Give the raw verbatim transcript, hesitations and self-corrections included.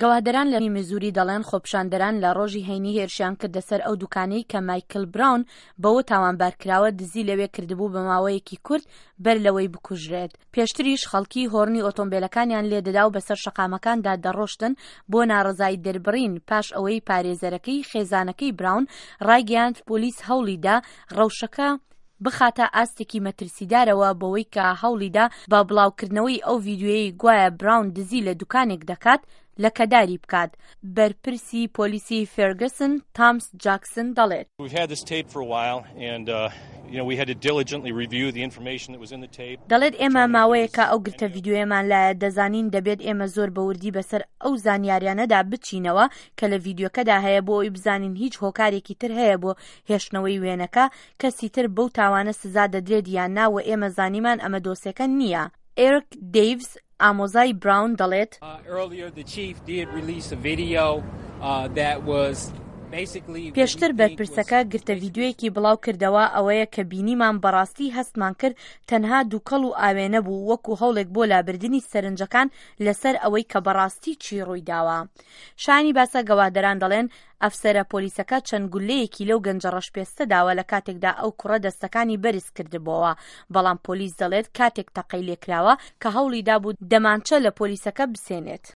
گەواهدەران لە میزوری دەڵێن خۆپیشاندەران لە ڕۆژی هەینی هێرشیان کردە سەر ئەو دوکانەی کە مایکل براون بەوە تاوانبار کراوە دزی لەوێ کردبوو بە ماوەیەکی کورت بەر لەوەی بکوژرێت. پێشتریش خەڵکی هۆڕنی ئۆتۆمبیلەکانیان لێدەدا و بەسەر شەقامەکاندا دەڕۆشتن بۆ ناڕەزایی دەربڕین پاش ئەوەی پارێزەرەکەی خێزانەکەی براون ڕایگەیاند پۆلیس هەوڵیدا ڕەوشەکە بخاتە ئاستێکی مەترسیدارەوە بەوەی کە هەوڵیدا بە بڵاوکردنەوەی ئەو ڤیدیۆیەی گوایە براون دزی لە دوکانێک دەکات لەکەداری بکات. بەرپرسی پۆلیسی فێرگسن تامس جاکسن دەڵێت We've had this tape for a while, and uh, you know we had to diligently review the information that was in the tape. دەڵێت ئێمە ماوەیەکە ئەو گرتە ڤیدیۆیەمان لایە دەزانین دەبێت ئێمە زۆر بەوردی بەسەر ئەو زانیاریانەدا بچینەوە کە لە ڤیدیۆکەدا هەیە بۆ ئەوی بزانین هیچ هۆکارێکی تر هەیە بۆ هێشتنەوەی وێنەکە کەسی تر بەو تاوانە سزا دەدرێت یان نا و ئێمە زانیمان ئەمە دۆسێکە نییە. ئێرک دەیڤز ئامۆزای براون دەڵێت Uh, earlier, the chief did release a video uh, that was basically what we پێشتر think was بەرپرسەکە گرتە ڤیدیۆیەکی بڵاو کردەوە ئەوەیە کە بینیمان بەڕاستی هەستمان کرد تەنها دووکەڵ و ئاوێنە بوو وەکو هەوڵێک بۆ لابردنی سەرنجەکان لەسەر ئەوەی کە بەڕاستی چی ڕوویداوە. شایانی باسە گەواهدەران دەڵێن ئەفسەرە پۆلیسەکە چەند گولەیەکی لەو گەنجە ڕەشپێستە داوە لە کاتێکدا ئەو کوڕە دەستەکانی بەرز کردبووەوە بەڵام پۆلیس دەڵێت کاتێک تەقەی لێکراوە کە هەوڵی دابوو دەمانچە لە پۆلیسەکە بسێنێت.